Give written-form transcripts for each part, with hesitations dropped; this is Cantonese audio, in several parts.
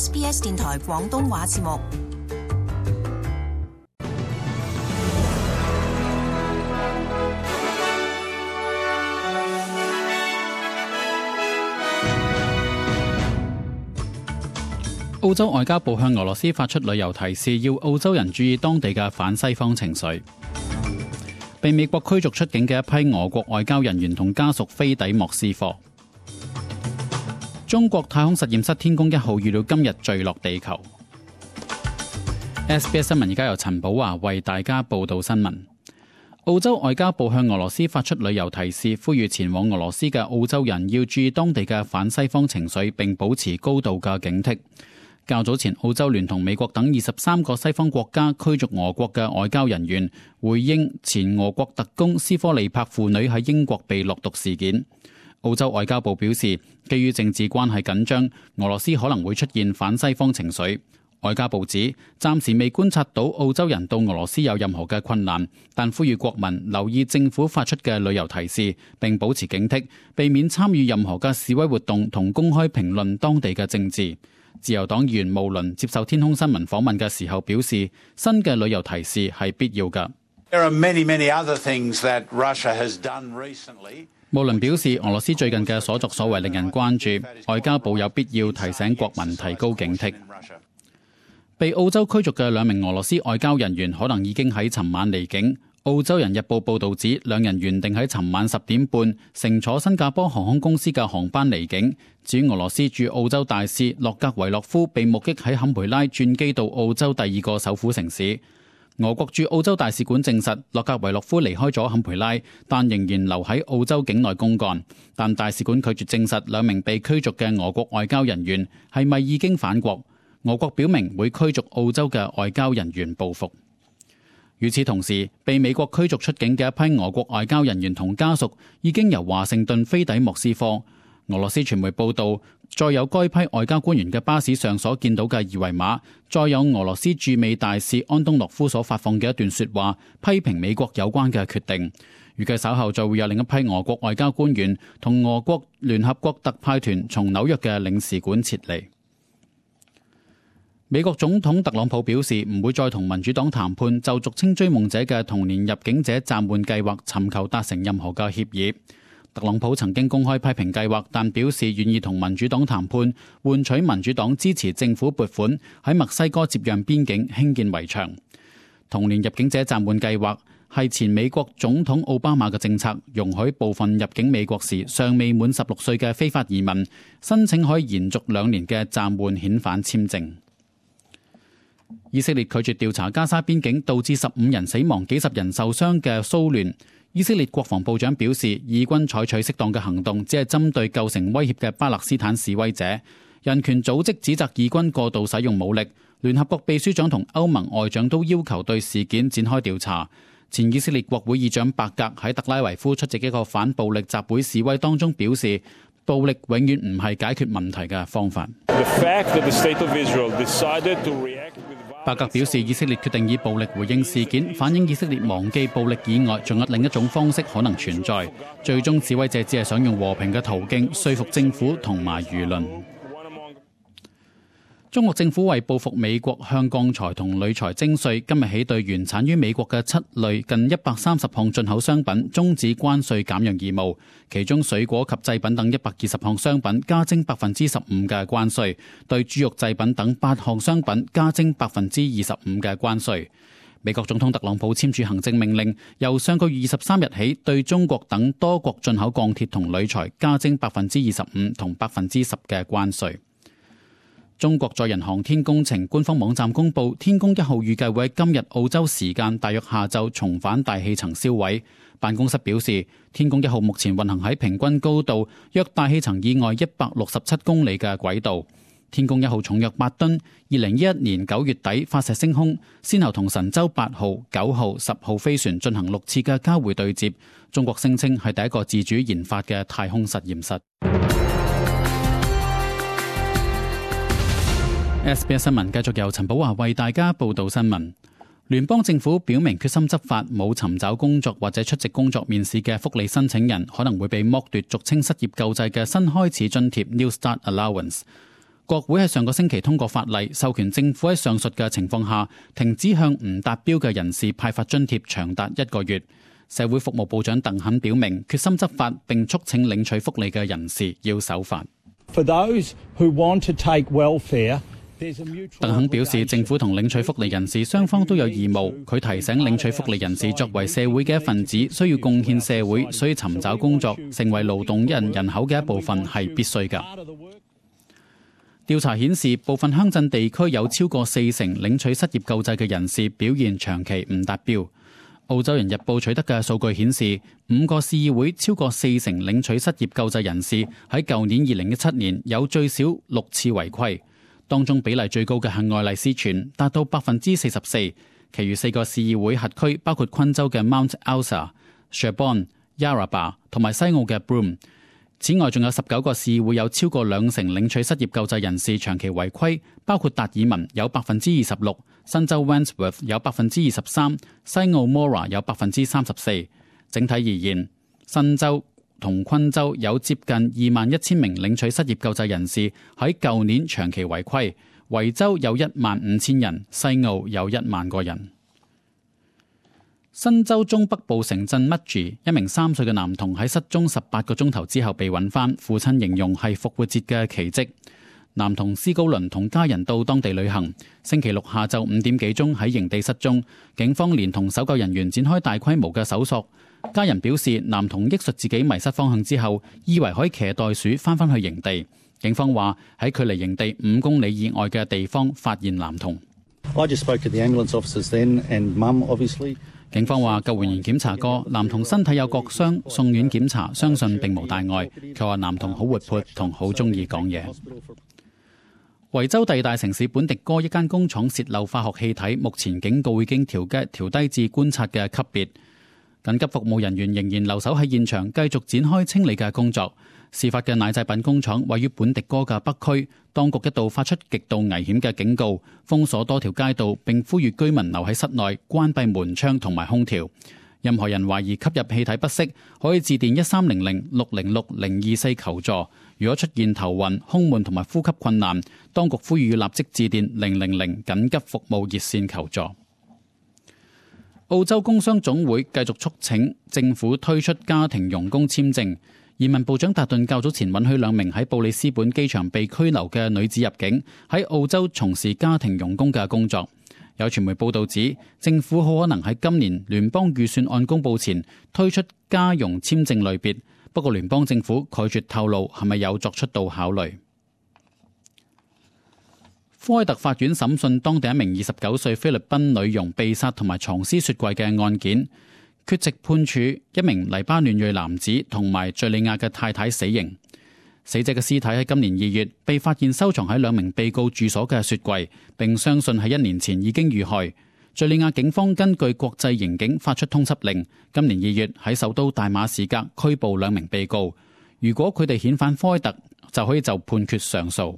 SBS 電台廣東話節目。澳洲外交部向俄羅斯發出旅遊提示，要澳洲人注意當地嘅反西方情緒。被美國驅逐出境嘅一批俄國外交人員同家屬飛抵莫斯科。中國太空實驗室天宮1號預料今日墜落地球。SBS 新聞而家由陳寶華為大家報道新聞。澳洲外交部向俄羅斯發出旅遊提示，呼籲前往俄羅斯嘅澳洲人要注意當地嘅反西方情緒，並保持高度嘅警惕。較早前，澳洲聯同美國等23個西方國家驅逐俄國嘅外交人員，回應前俄國特工斯科利柏父女喺英國被落毒事件。澳洲外交部表示，基於政治關係緊張，俄羅斯可能會出現反西方情緒。外交部指，暫時未觀察到澳洲人到俄羅斯有任何嘅困難，但呼籲國民留意政府發出嘅旅遊提示，並保持警惕，避免參與任何嘅示威活動同公開評論當地嘅政治。自由黨議員慕倫接受天空新聞訪問嘅時候表示，新嘅旅遊提示係必要嘅。慕倫表示，俄羅斯最近嘅所作所為令人關注，外交部有必要提醒國民提高警惕。被澳洲驅逐嘅2名俄羅斯外交人員可能已經喺尋晚離境。澳洲人日報報導指，2人原定喺尋晚10點半乘坐新加坡航空公司嘅航班離境。至於俄羅斯駐澳洲大使洛格維洛夫被目擊喺坎培拉轉機到澳洲第2個首府城市。俄國駐澳洲大使館證實，洛格維洛夫離開咗坎培拉，但仍然留喺澳洲境內公幹。但大使館拒絕證實2名被驅逐嘅俄國外交人員係咪已經返國。俄國表明會驅逐澳洲嘅外交人員報復。與此同時，被美國驅逐出境嘅一批俄國外交人員同家屬已經由華盛頓飛抵莫斯科。俄羅斯傳媒報道，載有該批外交官員嘅巴士上所見到嘅二維碼，載有俄羅斯駐美大使安東諾夫所發放嘅一段說話，批評美國有關嘅決定。預計稍後就會有另一批俄國外交官員同俄國聯合國特派團從紐約嘅領事館撤離。美國總統特朗普表示唔會再同民主黨談判就俗稱追夢者嘅童年入境者暫緩計劃尋求達成任何嘅協議。特朗普曾經公開批評計劃，但表示願意同民主黨談判，換取民主黨支持政府撥款喺墨西哥接壤邊境興建圍牆。童年入境者暫緩計劃係前美國總統奧巴馬嘅政策，容許部分入境美國時尚未滿16歲嘅非法移民申請可以延續2年嘅暫緩遣返簽證。以色列拒絕調查加沙邊境導致15人死亡、幾十人受傷嘅騷亂。以色列國防部長表示，以軍採取適當嘅行動，只係針對構成威脅嘅巴勒斯坦示威者。人權組織指責以軍過度使用武力。聯合國秘書長同歐盟外長都要求對事件展開調查。前以色列國會議長伯格喺特拉維夫出席一個反暴力集會示威當中表示，暴力永遠唔係解決問題嘅方法。伯格表示，以色列決定以暴力回應事件，反映以色列忘記暴力以外仲有另一種方式可能存在。最終示威者只係想用和平嘅途徑說服政府同埋輿論。中國政府為報復美國向鋼材同鋁材徵稅，今日起對原產於美國嘅7類近130項進口商品終止關稅減讓義務，其中水果及製品等120項商品加徵15%嘅關稅，對豬肉製品等8項商品加徵25%嘅關稅。美國總統特朗普簽署行政命令，由上個月23日起對中國等多國進口鋼鐵同鋁材加徵25%同10%嘅關稅。中國載人航天工程官方網站公布，天宮1號預計會喺今日澳洲時間大約下晝重返大氣層銷毀。辦公室表示，天宮1號目前運行喺平均高度約大氣層以外167公里嘅軌道。天宮1號重約8噸，2011年9月底發射升空，先後同神舟8號、9號、10號飛船進行6次嘅交會對接。中國聲稱係第一個自主研發嘅太空實驗室。SBS 新聞繼續由陳寶華為大家報道新聞。聯邦政府表明決心執法，冇尋找工作或者出席工作面試嘅福利申請人可能會被剝奪俗稱失業救濟嘅新開始津貼 New Start Allowance。國會喺上個星期通過法例，授權政府喺上述嘅情況下停止向唔達標嘅人士派發津貼長達1個月。社會服務部長鄧肯表明決心執法，並促請領取福利嘅人士要守法。鄧肯表示，政府同領取福利人士雙方都有義務。佢提醒領取福利人士作為社會嘅一份子，需要貢獻社會，所以尋找工作成為勞動人口嘅一部分係必須㗎。調查顯示，部分鄉鎮地區有超過40%領取失業救濟嘅人士表現長期唔達標。澳洲人日報取得嘅數據顯示，5個市議會超過40%領取失業救濟人士喺舊年2017年有最少6次違規，當中比例最高嘅係愛麗斯泉，達到44%。其餘4個市議會轄區包括昆州嘅 Mount Elsa、Sherborne、Yarrabah 同埋西澳嘅 Broome。此外，仲有19個市議會有超過2成領取失業救濟人士長期違規，包括達爾文有26%，新州 Wandsworth 有23%，西澳 Moora 有34%。整體而言，新州同昆州有接近21,000名領取失業救濟人士喺舊年長期違規，維州有15,000人，西澳有1萬個人。新州中北部城鎮 Mudgee 一名3歲嘅男童喺失蹤18個鐘頭之後被揾返，父親形容係復活節嘅奇蹟。男童斯高倫同家人到當地旅行，星期六下晝5點幾鐘喺營地失蹤，警方連同搜救人員展開大規模嘅搜索。家人表示，男童憶述自己迷失方向之後，以為可以騎袋鼠返返去營地。警方話喺距離營地5公里以外嘅地方發現男童。警方話救援員檢查過，男童身體有割傷，送院檢查，相信並無大礙。佢話男童好活潑同好中意講嘢。維州第二大城市本迪哥一間工廠洩漏化學氣體，目前警告已經調低至觀察嘅級別。緊急服務人員仍然留守喺現場，繼續展開清理嘅工作。事發嘅奶製品工廠位於本迪哥嘅北區，當局一度發出極度危險嘅警告，封鎖多條街道，並呼籲居民留喺室內，關閉門窗同埋空調。任何人懷疑吸入氣體不適，可以致電1300-606-024求助。如果出現頭暈、胸悶同埋呼吸困難，當局呼籲要立即致電000緊急服務熱線求助。澳洲工商總會繼續促請政府推出家庭傭工簽證。移民部長達頓較早前允許2名喺布里斯本機場被拘留嘅女子入境，喺澳洲從事家庭傭工嘅工作。有傳媒報道指，政府好可能喺今年聯邦預算案公佈前推出家傭簽證類別，不過聯邦政府拒絕透露係咪有作出到考慮。科威特法院審訊當地一名29歲菲律賓女傭被殺同埋藏屍雪櫃嘅案件，缺席判處一名黎巴嫩裔男子同埋敘利亞嘅太太死刑。死者嘅屍體喺今年2月被發現收藏喺2名被告住所嘅雪櫃，並相信喺1年前已經遇害。敘利亞警方根據國際刑警發出通緝令，今年2月喺首都大馬士革拘捕2名被告。如果佢哋遣返科威特，就可以就判決上訴。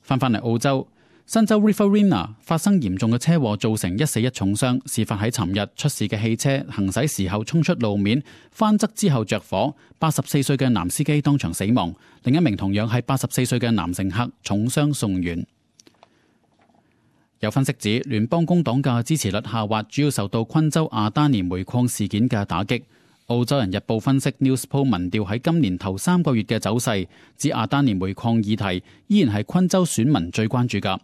返嚟澳洲，新州 Riverina 發生嚴重嘅車禍，造成1死1重傷。事發喺尋日，出事嘅汽車行駛時候衝出路面，翻側之後着火。84歲嘅男司機當場死亡，另一名同樣係84歲嘅男乘客重傷送院。有分析指，聯邦工黨嘅支持率下滑，主要受到昆州亞丹尼煤礦事件嘅打擊。澳洲人日報分析 Newspoll 民調喺今年頭3個月嘅走勢，指亞丹尼煤礦議題依然係昆州選民最關注㗎。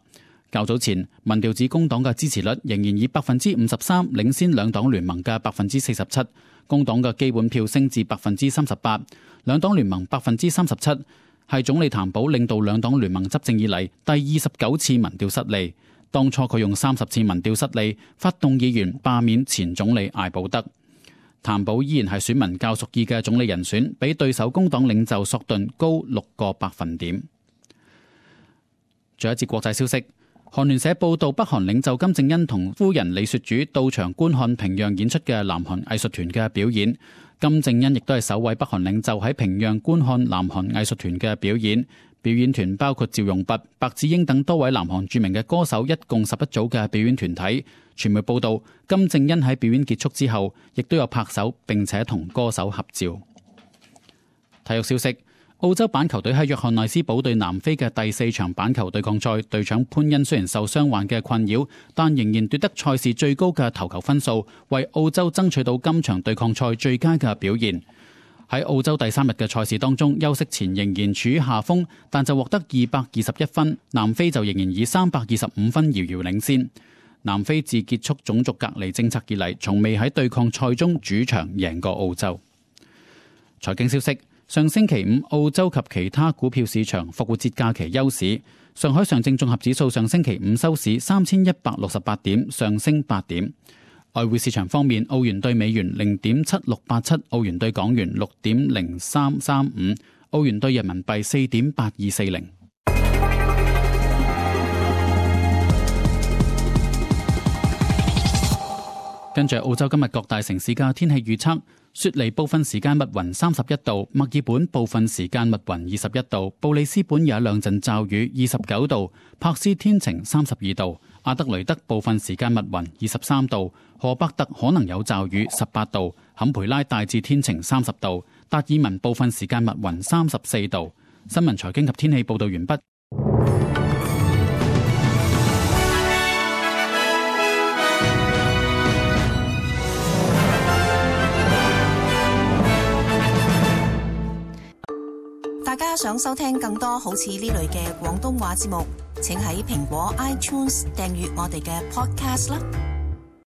較早前，民調指工黨嘅支持率仍然以53%領先兩黨聯盟嘅47%，工黨嘅基本票升至38%，兩黨聯盟37%，係總理譚寶領導兩黨聯盟執政以嚟第29次民調失利。當初佢用30次民調失利，發動議員罷免前總理艾保德。譚寶依然係選民較屬意嘅總理人選，比對手工黨領袖索頓高6個百分點。仲有一節國際消息，韓聯社報道，北韓領袖金正恩同夫人李雪主到場觀看平壤演出嘅南韓藝術團嘅表演。金正恩亦都係首位北韓領袖喺平壤觀看南韓藝術團嘅表演。表演團包括趙容弼、白智英等多位南韓著名嘅歌手，一共11組嘅表演團體。傳媒報道，金正恩喺表演結束之後，亦都有拍手並且同歌手合照。體育消息，澳洲板球隊喺約翰內斯堡對南非嘅第4場板球對抗賽，隊長潘恩雖然受傷患嘅困擾，但仍然奪得賽事最高嘅頭球分數，為澳洲爭取到今場對抗賽最佳嘅表現。喺澳洲第3日嘅賽事當中，休息前仍然處於下風，但就獲得221分，南非就仍然以325分遙遙領先。南非自結束種族隔離政策以嚟，從未喺對抗賽中主場贏過澳洲。財經消息。上星期五，澳洲及其他股票市場復活節假期休市。上海上證綜合指數上星期五收市3168點，上升8點。外匯市場方面，澳元對美元0.7687，澳元對港元6.0335，澳元對人民幣4.8240。跟住澳洲今日各大城市嘅天氣預測。雪梨部分時間密雲31度，墨爾本部分時間密雲21度，布里斯本有一兩陣驟雨29度，柏斯天晴32度，阿德雷德部分時間密雲23度，荷伯特可能有驟雨18度，坎培拉大致天晴30度，達爾文部分時間密雲34度。新聞財經及天氣報道完畢。大家想收聽更多好似呢類嘅廣東話節目，請喺蘋果 iTunes 訂閱我哋嘅 podcast 啦。